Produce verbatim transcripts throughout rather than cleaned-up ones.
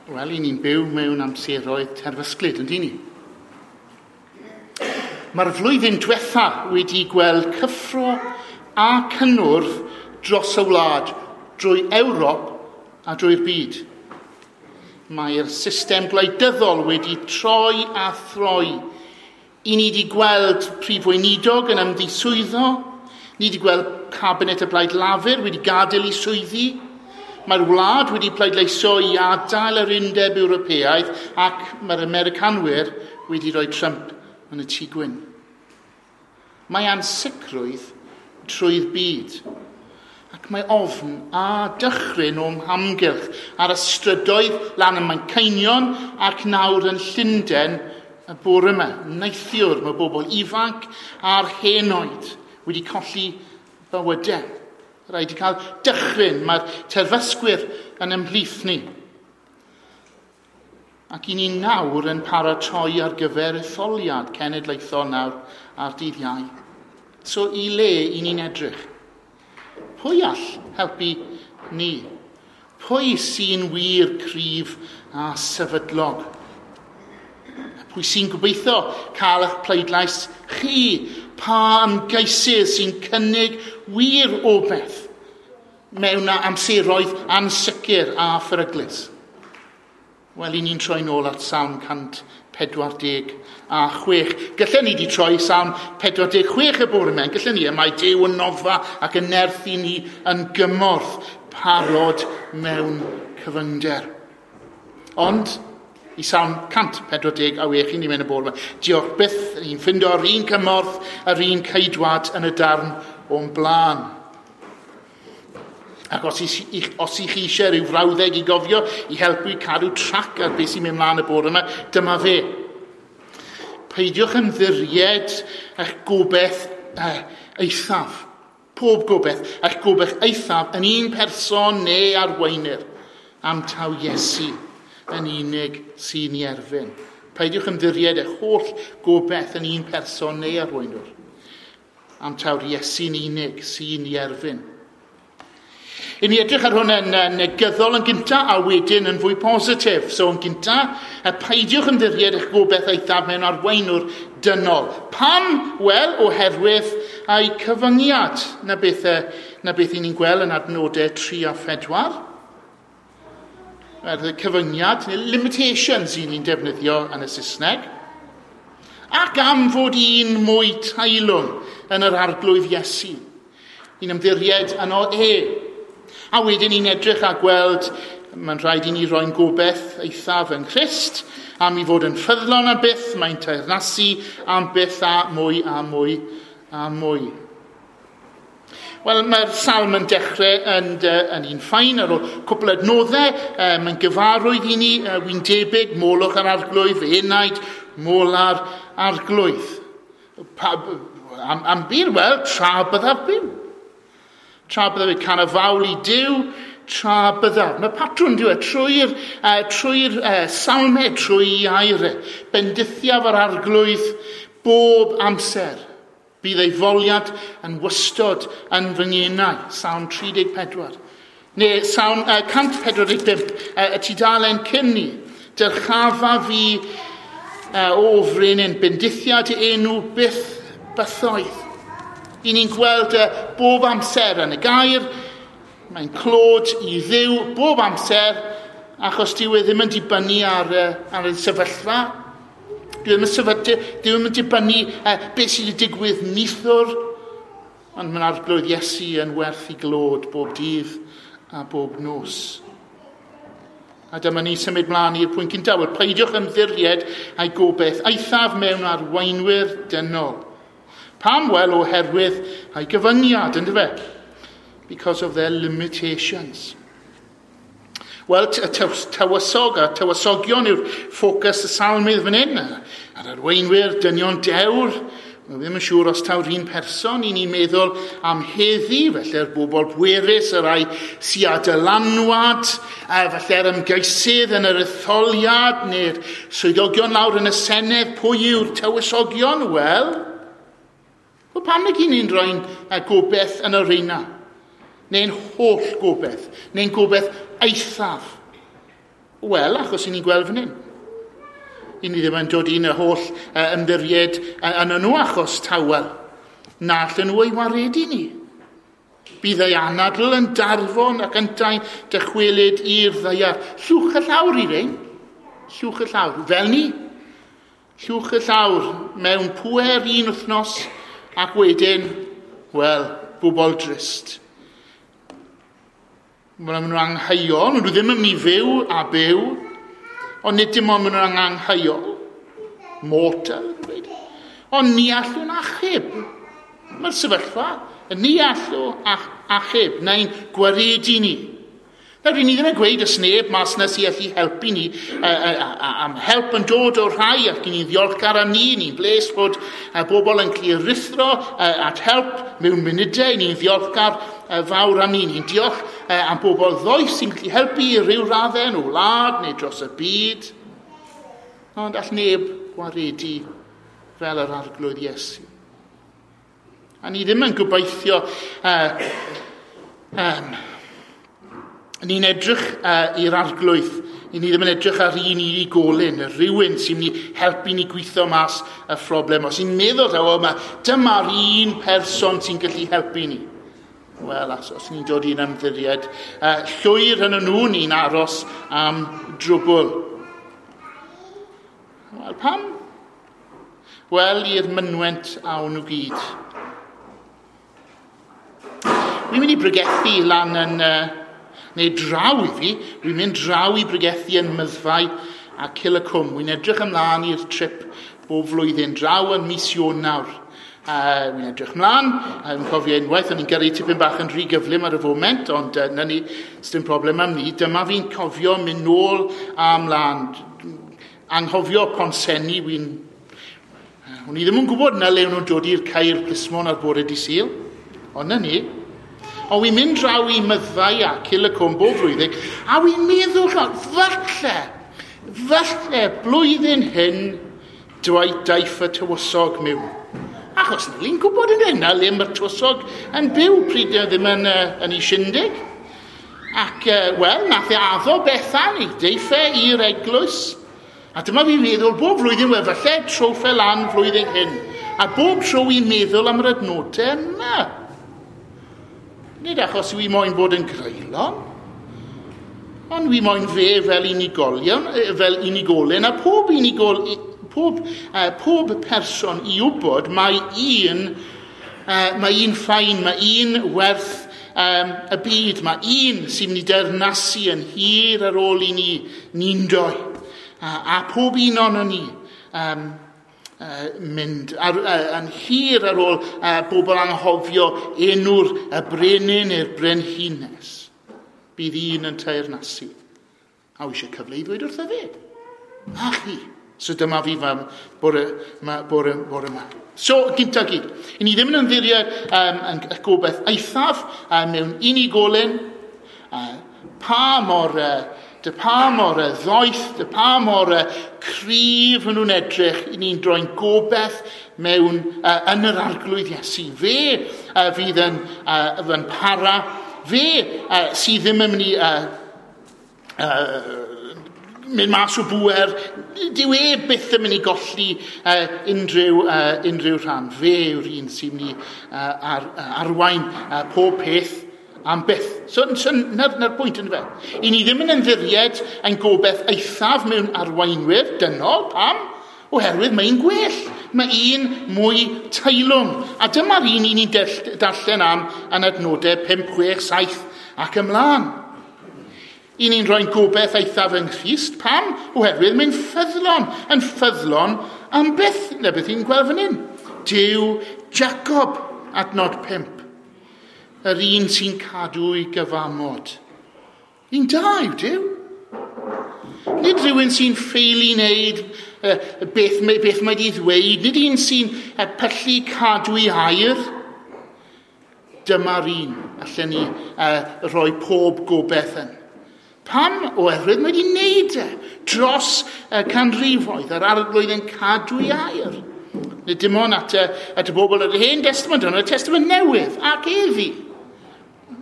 Wel, i ni'n byw mewn amseroedd terfysglyd, yndyn ni? Mae'r flwyddyn diwetha wedi gweld cyffro a cynnwrf dros y wlad, drwy Ewrop a drwy'r byd. Mae'r system gwleidyddol wedi troi a throi. I ni wedi gweld prif weinidog yn ymddiswyddo, ni wedi gweld cabinet y Blaid Lafur wedi gadael i swyddi, mae'r wlad wedi pleidleisio i adael yr Undeb Ewropeaidd ac mae'r Americanwyr wedi rhoi Trump yn y tŷ gwyn. Mae ansicrwydd trwy'r byd ac mae ofn a dychryn o'm hamgylch ar y strydoedd lan ym Manceinion ac nawr yn Llundain y bore yma. Neithiwr mae bobl ifanc a'r henoed wedi colli bywydau. Rhaid i cael dychryn, mae'r terfysgwyr yn ymhlith ni. Ac i ni nawr yn paratoi ar gyfer etholiad cenedlaethol nawr ar dydd Iau. So i le i ni'n edrych? Pwy all helpu ni? Pwy sy'n wir cryf a sefydlog? Pwy sy'n gobeithio cael eich pleidlais chi? Pa ymgeisydd sy'n cynnig wir obaith mewn amseroedd ansicr a pheryglus? Wel, i ni'n troi nôl at Salm cant pedwar deg a chwech. Gallen ni di troi Salm pedwar deg chwech y bore yma. Gallen ni, mae Duw yn noddfa ac yn nerth i ni yn gymorth parod mewn cyfyngder. Ond, i Salm cant pedwar deg a wech i ni mewn y bore yma. Diolch byth, ni'n ffindo'r un cymorth a'r un ceidwad yn y darn o'n blaen. Ac os i, os i chi eisiau rhyw frawddeg i gofio, i helpu i cadw trac ar beth sy'n mynd mlaen y bore yma, dyma fe. Peidiwch ymddiried eich gobaith eh, eithaf. Pob gobaith, eich gobaith eithaf yn un person neu arweinydd am taw Iesu yn unig sy'n ei erfyn. Peidiwch ymddiried eich holl gobaith yn un person neu arweinwr am taw'r Iesu'n unig sy'n ei erfyn. I ni edrych ar hwn yn negyddol yn gyntaf a wedyn yn fwy positif. So yn gyntaf, peidiwch ymddiried eich gobaith eithaf mewn arweinwr dynol. Pam? Wel, oherwydd ei cyfyngiad. Na beth, na beth i ni'n gweld yn adnodau tri a phedwar. Y cyfyngiad, neu limitations i ni'n defnyddio yn y Saesneg. Ac am fod un mwy teilwng yn yr arglwydd Iesu. Ni'n ymddiried yno e. A wedyn ni'n edrych a gweld, mae'n rhaid i ni roi'n gobaith eithaf yng Nghrist, am i fod yn ffyddlon am byth, mae'n teyrnasu am byth a mwy a mwy a mwy. Wel, mae'r salm yn dechrau yn, yn un ffain ar ôl cwpl adnoddau, mae'n gyfarwydd i ni, wy'n debyg, molwch yr arglwydd, fy enaid, mola'r arglwydd. Pa, am, am bir, wel, tra byddaf byw. Tra byddaf yn canu fawl i Duw, tra byddaf. Mae patrwn dyw e, trwy'r uh, trwy uh, salmau, trwy air. Bendithiaf yr arglwydd bob amser. Bydd ei foliad yn wystod yn fy ngenau. Salm tri deg pedwar. Neu Salm uh, cant pedwar deg pump, uh, y tudalen cyn ni. Dyrchafa fi uh, o frenin, bendithiad i enw byth bythoedd. I ni'n gweld uh, bob amser yn y gair, mae'n clod i Dduw bob amser, achos dyw e ddim yn dibynnu ar, uh, ar y sefyllfa. Dyw e ddim yn, sefydlu, dyw e ddim yn dibynnu uh, beth sydd wedi digwydd neithiwr, ond mae'n arglwydd Iesu yn werth i glod bob dydd a bob nos. A dyma ni symud mlaen i'r pwynt cyntaf. Wel, peidiwch ymddiried a'i gobaith eithaf mewn arweinwyr dynol. Pam? Wel, oherwydd ei gyfyngiad, ynddo fe? Because of their limitations. Wel, y tywysog a tywysogion yw'r ffocws y salmydd fan hyn. A'r arweinwyr, dynion dewr. Mae ddim yn siŵr os taw'r un person i ni'n meddwl am heddi, felly'r bobl bwerus, y rhai sy â dylanwad, felly'r ymgeisydd yn yr etholiad, neu'r swyddogion lawr yn y Senedd. Pwy yw'r tywysogion? Wel, wel pam nag i ni'n rhoi'n gobaith yn y reina? Neu'n holl gobaith, neu'n gobaith eithaf Wel, achos i ni'n gweld fan hyn. I ni ddim yn dod i'n y holl uh, ymddiried uh, yn nhw achos tawel. Na allan nhw ei waredu ni. Bydd ei anadl yn darfon ac yntau'n dychwelyd i'r ddaear. Llwch y llawr i rein. Llwch y llawr. Fel ni. Llwch y llawr mewn pŵer un wythnos ac wedyn, wel, bobl drist. Maen nhw'n angheuol, nhw ddim yn mynd i fyw a byw, ond nid dim ond maen nhw'n angheuol. Mortal, yn dweud. Ond ni allwn achub. Mae'r sefyllfa, ni allwn achub, neu'n gwaredu ni. Nawr, ni ddim yn gweud ys neb mas na sy'n allu helpu ni am help yn dod o'r rhai ac ni'n ddiolchgar am ni, ni'n bles bod bobl yn cael ruthro at help mewn munudau, ni'n ddiolchgar fawr am ni, ni'n diolch am bobl ddoeth sy'n gallu helpu i ryw raddau yn o wlad neu dros y byd. Ond all neb gwaredu fel yr Arglwydd Iesu. A ni ddim yn gobeithio uh, um, ni'n edrych uh, i'r Arglwydd. Ni ddim yn edrych ar un unigolyn, rhywun sy'n mynd i helpu ni gweithio mas y phroblem. Os ni'n meddwl taw, yma, dyma'r un person sy'n gallu helpu ni. Wel, os, os ni'n dod i'n ymddiried, uh, llwyr yn nhw ni'n aros am drwbl. Wel, pam? Wel, i'r mynwent awn nhw gyd. Wi'n mynd i bregethu lan yn... Uh, neu draw i fi, wi'n mynd draw i bregethu yn Myddfai a Cil y Cwm. Wi'n edrych ymlaen i'r trip bob flwyddyn, draw yn mis Ionawr. Uh, wi'n edrych ymlaen, uh, yn cofio unwaith, o'n i'n gyrru tipyn bach yn rhy gyflym ar y foment, ond uh, na ni, sdim problem am ni. Dyma fi'n cofio mynd nôl a ymlaen. Anghofio Pontsenni, wi'n... Uh, o'n i ddim yn gwybod na le o'n nhw'n dod i'r Caer Plismon ar bore dydd Sul, ond na ni. Ond wi'n mynd draw i Myddfai a Cil y Cwm bob flwyddyn, a wi'n meddwl, falle, falle blwyddyn hyn, dweud daiff y tywysog mewn. Achos ni'n gwybod yn hyn, na le mae'r tywysog yn byw pryd ddim yn, uh, yn ei shindig. Ac, uh, wel, nath e addo Bethany, deiff e i'r eglwys. A dyma fi'n meddwl, bob flwyddyn, wel, falle trowff e lan flwyddyn hyn. A bob tro wi'n meddwl am yr adnodau yma. Nid achos wi moyn bod yn greulon, ond wi moyn fe fel unigolion, fel unigolyn, a pob unigol, pob, uh, pob person i wybod mae un, uh, mae un ffain, mae un werth um, y byd, mae un sy'n mynd i deyrnasu yn hir ar ôl i ni, ni'n doi. A, a pob un o'n ni um, Uh, mynd ar, uh, yn hir ar ôl uh, bobl anghofio enw'r y brenin neu'r brenhines. Bydd un yn teyrnasu. A wi eisiau cyfle i ddweud wrtho fe. A chi. So dyma fi fam bore, ma, bore, bore yma. So, gynta gyd. I ni ddim yn ymddiried um, yn y gobeith eithaf uh, mewn unigolyn. Uh, pa mor... Uh, Dy pa mor ddoeth, dy pa mor cryf yn nhw'n edrych, i ni'n droi'n gobeith mewn, uh, yn yr Arglwydd Iesu. Fe uh, fydd yn, uh, yn para, fe uh, sydd ddim yn mynd i uh, uh, mynd mas o bŵer, dyw e byth yn mynd i golli uh, unrhyw, uh, unrhyw rhan. Fe yw'r un sy'n mynd i uh, ar, arwain uh, pob peth am byth. So, so na'r, na'r pwynt yn fe. I ni ddim yn ymddiried ein gobeith eithaf mewn arweinwyr dynol. Pam? Oherwydd mae'n gwell. Mae un mwy teilwng. A dyma'r un i ni'n darllen am yn adnodau pump, chwech, saith ac ymlaen. I ni'n rhoi'n gobeith eithaf yng Nghrist. Pam? Oherwydd mae'n ffyddlon. Yn ffyddlon am byth. Na beth i'n gweld fan hyn. Duw Jacob, adnod pump. Yr un sy'n cadw ei gyfamod. Un da yw Duw. Nid rhywun sy'n ffeili wneud uh, beth, beth mae di ddweud. Nid un sy'n uh, pyllu cadw ei air. Dyma'r un allan ni uh, rhoi pob gobeith yn. Pam? Oherwydd mae di wneud e dros uh, canrifoedd. Yr Arglwydd yn cadw ei air. Nid dim ond at y, at y bobl yr Hen Testament, ond y Testament Newydd ac eddi.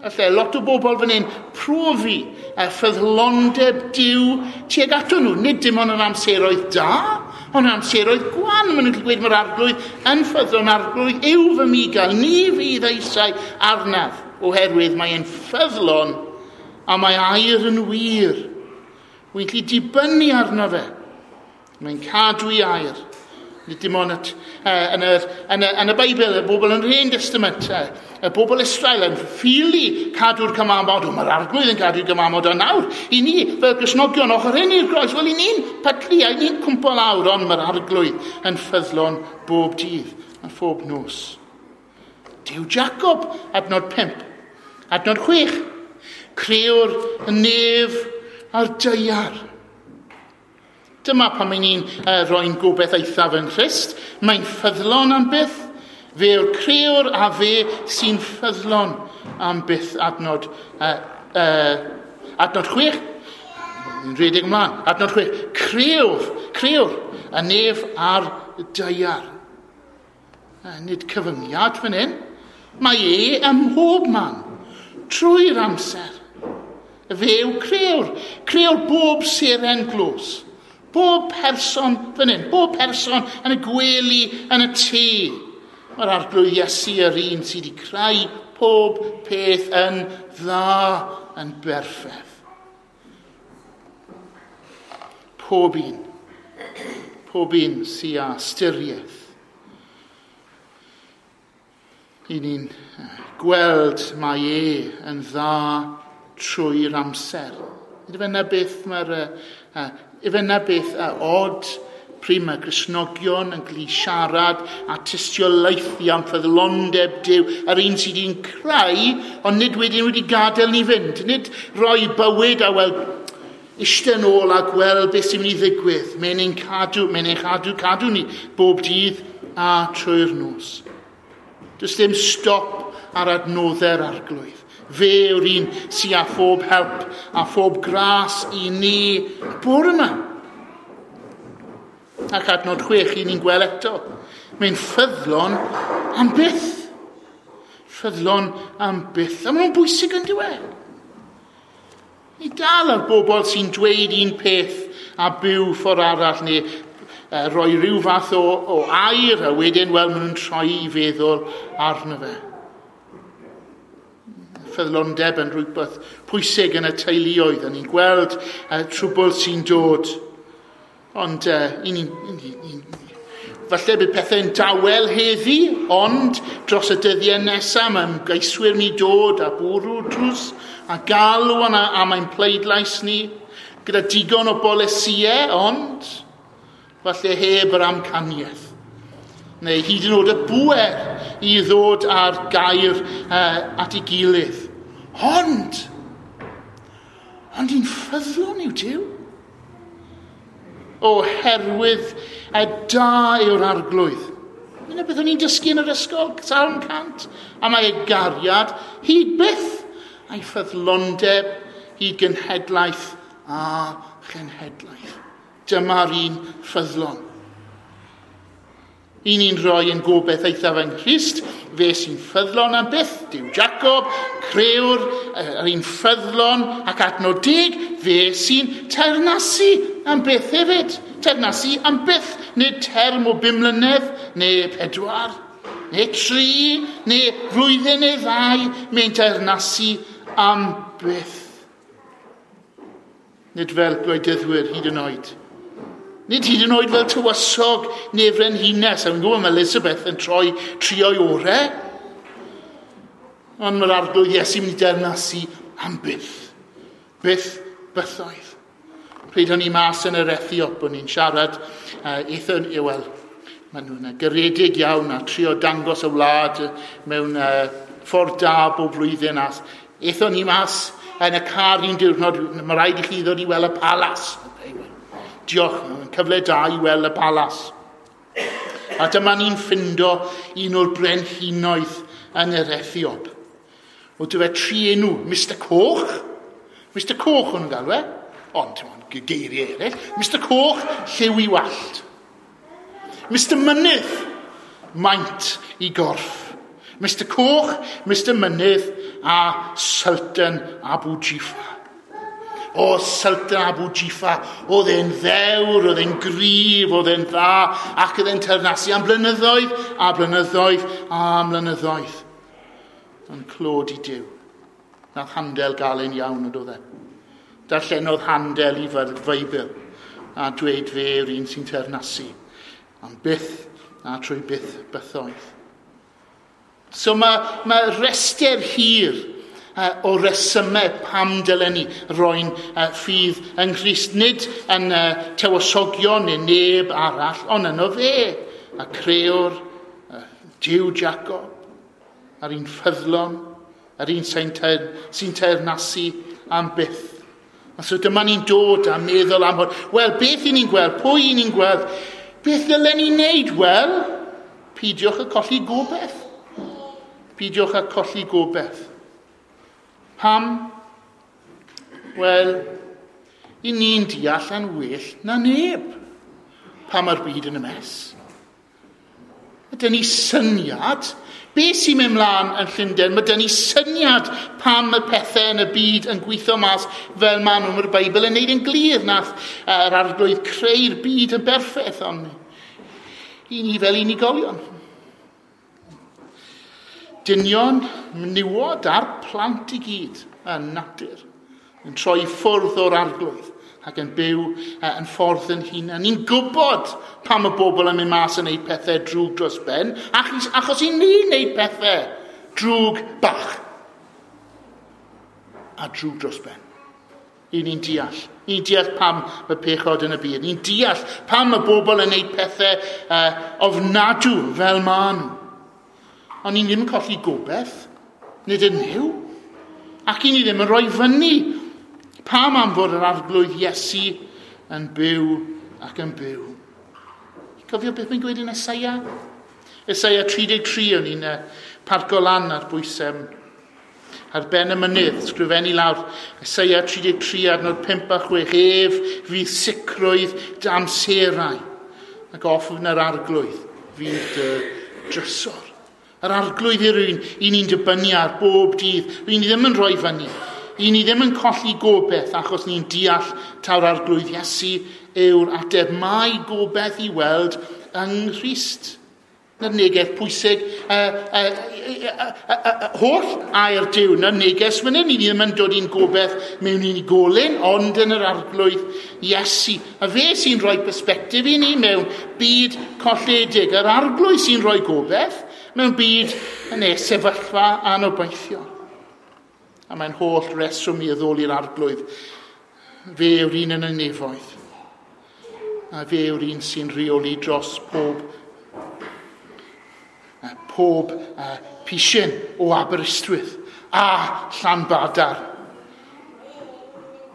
Alle lot o bobl fan hyn profi y ffyddlondeb Duw tuag ato nhw. Nid dim ond yn amseroedd da, ond yn amseroedd gwan. Maen nhw'n gallu gweud mae'r arglwydd yn ffyddlon, arglwydd yw fy migael, ni fydd eisiau arnaf, oherwydd mae e'n ffyddlon a mae air yn wir. Wy'n gallu dibynnu arno fe. Mae'n cadw i air. Nid dim ond at, uh, yn, yr, yn, y, yn y Beibl, y bobl yn yr Hen Testament, uh, y bobl Israel yn ffili cadw'r cyfamod. O, mae'r arglwydd yn cadw'r cyfamod, ond nawr, i ni, fel Gristnogion, ochr hyn i'r groes, wel, i ni'n pydlu, a i ni'n cwmpo lawr, ond mae'r arglwydd yn ffyddlon bob dydd a phob nos. Duw Jacob, adnod pump. Adnod chwech, crëwr y nef a'r daear. Dyma pan mae ni'n uh, rhoi'n gobeith eithaf yng Nghrist. Mae'n ffyddlon am byth. Fe yw'r crëwr a fe sy'n ffyddlon am byth. Adnod, uh, uh, adnod chwech. Ni'n rhedeg ymlaen. Adnod chwech. Crëwr, crëwr y nef a'r daear. Uh, nid cyfyngiad fan hyn. Mae e ym mhob man, trwy'r amser. Fe yw crëwr. Crëwr bob seren glos. Bob person fan hyn, bob person yn y gwely, yn y tŷ. Mae'r arglwydd Iesu yr un sydd wedi creu pob peth yn dda, yn berffaith. Pob un, pob un sydd â ystyriaeth. I ni'n gweld mae e yn dda trwy'r amser. Ife yna beth mae'r... Uh, Ife yna beth uh, od pryd mae Gristnogion yn gallu siarad a tystiolaethu am ffyddlondeb Duw, yr un sydd wedi'n creu, ond nid wedyn wedi gadael ni fynd. Nid rhoi bywyd a wel, eistedd nôl a gweld beth sy'n mynd i ddigwydd. Mae'n ein cadw, mae'n ein cadw, cadw ni bob dydd a trwy'r nos. Does dim stop ar adnoddau'r arglwydd. Fe yw'r un sydd â phob help a phob gras i ni bore yma. Ac adnod chwech i ni'n gweld eto. Mae'n ffyddlon am byth. Ffyddlon am byth. A maen nhw'n bwysig yn diwedd. Ni dal ar bobl sy'n dweud un peth a byw ffordd arall neu uh, roi rhyw fath o, o air a wedyn, wel, maen nhw'n troi i feddwl arno fe. Ffyddlondeb yn rhywbeth pwysig yn y teuluoedd, a ni'n gweld uh, trwbl sy'n dod. Ond uh, i ni, i ni, i ni, falle bydd pethau'n dawel heddi, ond dros y dyddiau nesaf mae ymgeiswyr ni dod a bwrw drws a galw am, am ein pleidlais ni gyda digon o bolisïau, ond falle heb yr amcaniaeth. Neu hyd yn oed y bŵer i ddod â'r gair uh, at ei gilydd. Ond, ond i'n ffyddlon yw Duw. Oherwydd y da yw'r arglwydd. Dyna beth o'n i'n dysgu yn yr ysgol, Salm cant. A mae ei gariad hyd byth a'i ffyddlondeb hyd genhedlaeth a chenhedlaeth. Dyma'r un ffyddlon. I ni'n rhoi yn gobeith eithaf yng Nghrist, fe sy'n ffyddlon am byth, Duw Jacob, crëwr, yr un ffyddlon ac adnod deg, fe sy'n teyrnasu am byth hefyd. Teyrnasu am byth, nid term o bum mlynedd, neu pedwar, neu tri, neu flwyddyn neu ddau, mae'n teyrnasu am byth. Nid fel gwleidyddwyr hyd yn oed. Nid hyd yn oed fel tywysog neu frenhines. A fi'n gwybod mae Elizabeth yn troi trio'i orau. Ond mae'r arglwydd Iesu mynd i deyrnasu am byth. Byth bythoedd. Pryd o'n i mas yn yr Ethiop, o'n i'n siarad, uh, eithon, wel, maen nhw'n garedig iawn a trio dangos y wlad mewn uh, ffordd da bob blwyddyn. A eithon ni mas yn y car un diwrnod, mae rhaid i chi ddod i weld y palas. Diolch, mae'n cyfle da i weld y palas. A dyma ni'n ffindo un o'r brenhinoedd yn yr Ethiop. O dyfe tri enw, Mister Coch. Mister Coch o'n nhw'n galw e. Ond, ti'n geiriau eraill. Mister Coch, lliw i wallt. Mister Mynydd, maint i gorff. Mister Coch, Mister Mynydd a Sultan Abu Jifa. O, Sultan Abu Jifa, oedd e'n ddewr, oedd e'n gryf, oedd e'n dda, ac oedd e'n teyrnasu am blynyddoedd, a blynyddoedd, a blynyddoedd. Ond clod i Duw. Nath Handel gael e'n iawn, oedd e. Darllenodd Handel i Feibl, a dweud fe yw'r un sy'n teyrnasu. Am byth, a trwy byth bythoedd. So mae, mae rester hir o resymau pam dylen ni roi'n ffydd yng Nghrist, nid yn tywysogion neu neb arall, ond yno fe, y crëwr, Duw Jacob, a'r un ffyddlon, yr un sy'n teyrnasu am byth. A so dyma ni'n dod a meddwl am hwn. Wel, beth i ni'n gweld? Pwy i ni'n gweld? Beth ddylen ni'n neud? Wel, peidiwch â colli gobaith. Peidiwch â colli gobaith. Pam? Wel, i ni'n deall yn well na neb pam mae'r byd yn y mess. Mae ni syniad, beth sy'n mynd mlaen yn Llundain, mae dyn ni syniad pam y pethau yn y byd yn gweithio mas fel maen nhw. Mae'r Beibl yn neud yn glir nath yr Arglwydd creu'r byd yn berffaith, ond i ni fel unigolion. Dynion, menywod a'r plant i gyd yn natur, yn troi ffwrdd o'r Arglwydd ac yn byw yn ffordd yn hunan. Ni'n gwybod pam y bobl yn mynd mas yn gwneud pethau drwg dros ben, achos, achos i ni'n gwneud pethau drwg bach a drwg dros ben. I ni'n deall. Ni'n deall pam mae pechod yn y byd. Ni'n deall pam y bobl yn gwneud pethau uh, ofnadw fel maen nhw. Ond ni ddim yn colli gobaith, nid yn Nuw, ac i ni ddim yn rhoi fyny. Pam am fod yr Arglwydd Iesu yn byw ac yn byw? Cofio beth mae'n gweud yn Eseia? Eseia tri deg tri, o'n i'n parco lan ar bwys ar ben y mynydd, sgrifennu lawr. Eseia tri deg tri, adnod pump a chwech, ef fydd sicrwydd dy amserau, ac ofn yr Arglwydd fydd dy drysor. Yr Arglwydd yw'r un i ni'n dibynnu ar bob dydd. Ry'n ni ddim yn rhoi fyny. I ni ddim yn colli gobaith achos ni'n deall taw'r Arglwydd Iesu yw'r ateb. Mae gobaith i weld yng Nghrist. Na'r neges pwysig, uh, uh, uh, uh, uh, holl air Duw, na'r neges fan hyn. Ni ddim yn dod i'n gobaith mewn unigolyn, ond yn yr Arglwydd Iesu. A fe sy'n rhoi perspectif i ni mewn byd colledig. Yr Arglwydd sy'n rhoi gobaith mewn byd yn ei sefyllfa anobeithiol. A mae'n holl reswm i addoli'r Arglwydd. Fe yw'r un yn y nefoedd. A fe yw'r un sy'n rheoli dros pob, pob uh, pisyn o Aberystwyth a Llanbadar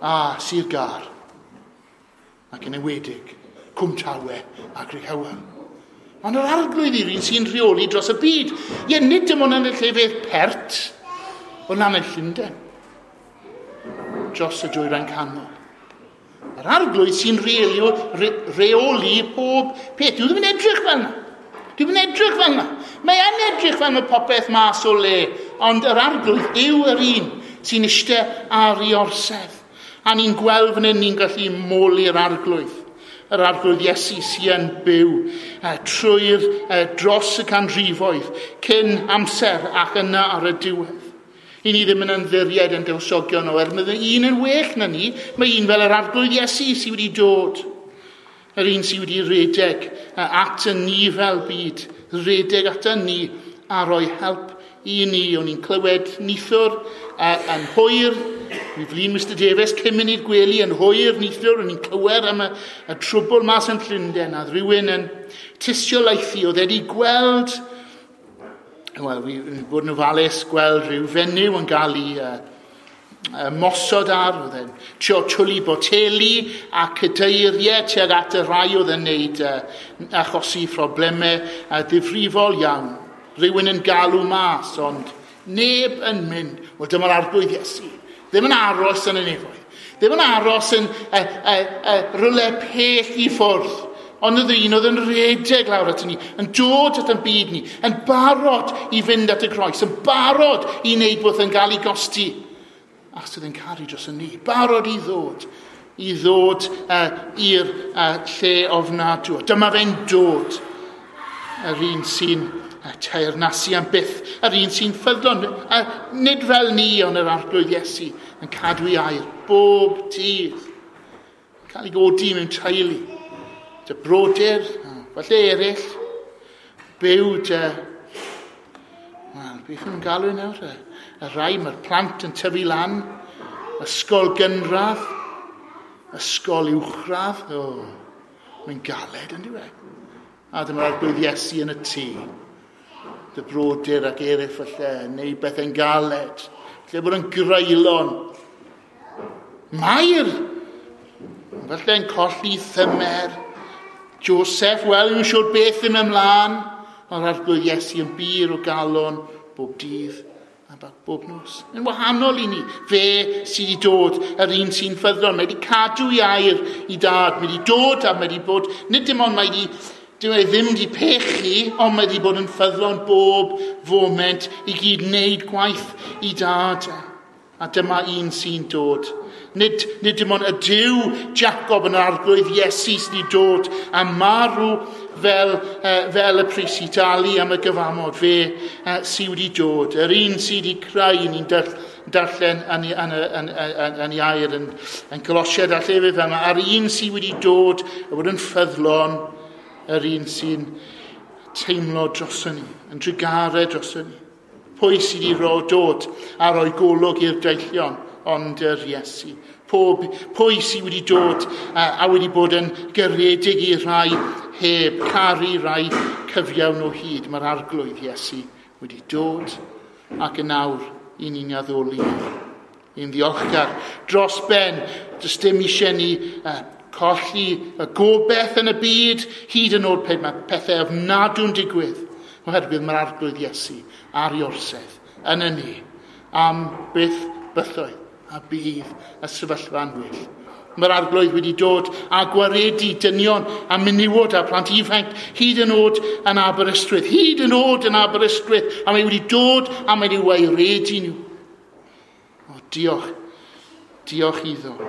a Sir Gâr ac yn enwedig Cwmtawe a Crickhowell. Ond yr Arglwydd yw'r un sy'n rheoli dros y byd. Ie, nid dim ond yn y llefydd pert, ond am y Llundain, dros y dwyrain canol. Yr Arglwydd sy'n reolio, re, reoli pob peth. Dwi ddim yn edrych fel yna. Dwi ddim yn edrych fel yna. Mae yn edrych fel mae popeth mas o le, ond yr Arglwydd yw yr un sy'n eistedd ar ei orsedd. A ni'n gweld fan hyn, ni'n gallu moli'r Arglwydd. Yr Arglwydd Iesu sy'n byw uh, trwy'r uh, dros y canrifoedd, cyn amser ac yna ar y diwedd. I ni ddim yn ymddiried yn dywysogion o er, mae un yn well na ni, mae un fel yr Arglwydd Iesu sydd wedi dod. Yr un sydd wedi redeg at y ni fel byd, redeg at y ni a rhoi help i ni. O'n i'n clywed neithiwr uh, yn hwyr, mi flin Mister Davies cyn mynd i'r gwely yn hwyr neithiwr, o'n i'n clywed am y, y trwbl mas yn Llundain, a rhywun yn tystiolaethu, oedd wedi gweld, wel, fi bod yn ofalus, gweld rhyw fenyw yn gael ei uh, mosod ar, oedd e'n trio twlu boteli a cadeiriau tuag at y rhai oedd yn neud uh, achosi problemau uh, ddifrifol iawn. Rhywun yn galw mas, ond neb yn mynd. Wel, dyma'r Arglwydd Iesu. Ddim yn aros yn y nefoedd. Ddim yn aros yn uh, uh, uh, rhywle pell i ffwrdd. Ond oedd un oedd yn rhedeg lawr at ni, yn dod at yn byd ni, yn barod i fynd at y groes, yn barod i wneud beth yn gael ei gosti. Achos oedd yn caru dros y ni, barod i ddod, i ddod uh, i'r uh, lle ofnadw. Dyma fe'n dod, yr un sy'n uh, teyrnasu am byth, yr un sy'n ffyddlon, uh, nid fel ni ond yr Arglwydd Iesu, yn cadw ei air bob dydd, cael ei godi mewn teulu. Dy brodyr, falle eraill, byw dy... Wel, beth nhw'n galw nawr? Y, y rai, mae'r plant yn tyfu lan, ysgol gynradd, ysgol uwchradd. O, mae'n galed yn diwedd. A dyma'r Arglwydd Iesu yn y tŷ. Dy brodyr ac eraill falle, neu bethau'n galed. Lle bod yn greulon. Mair, falle'n colli thymer. Joseph, wel, yw'n siŵr beth ddim ymlaen, ond Arglwydd Iesu yn bur o galon bob dydd a bob nos. Yn wahanol i ni, fe sydd wedi dod, yr un sy'n ffyddlon, mae wedi cadw ei air i dad, mae wedi dod a mae wedi bod, nid dim ond mae wedi, dim e ddim wedi pechu, ond mae wedi bod yn ffyddlon bob foment i gyd wneud gwaith i dad. A dyma un sy'n dod. Nid, nid dim ond y Duw Jacob yn Arglwydd Iesu sydd wedi dod a marw fel, uh, fel y pris i dalu am y gyfamod. Fe uh, sydd wedi dod. Yr un sydd wedi creu, ni'n darllen yn, yn, yn, yn, yn ei air yn, yn Colosiaid a llefydd fel yma. A'r un sydd wedi dod a bod yn ffyddlon, yr un sy'n teimlo droson ni, yn drugare droson ni. Pwy sydd wedi ro dod a roi golwg i'r deillion, ond yr Iesu. Pob, pwy sydd wedi dod a, a wedi bod yn garedig i rai heb caru rai cyfiawn o hyd. Mae'r Arglwydd Iesu wedi dod ac yn awr i ni'n addoli. I'n ddiolchgar dros ben, does dim eisiau ni uh, colli y gobeith yn y byd, hyd yn oed pe mae pethau ofnadw'n digwydd. Oherwydd mae'r Arglwydd Iesu ar ei orsedd yn y ni am byth bythoedd a bydd y sefyllfa'n well. Mae'r Arglwydd wedi dod a gwaredu dynion a menywod a plant ifanc hyd yn oed yn Aberystwyth, hyd yn oed yn Aberystwyth, a mae wedi dod a mae wedi waeredu nhw. O, diolch, diolch iddo.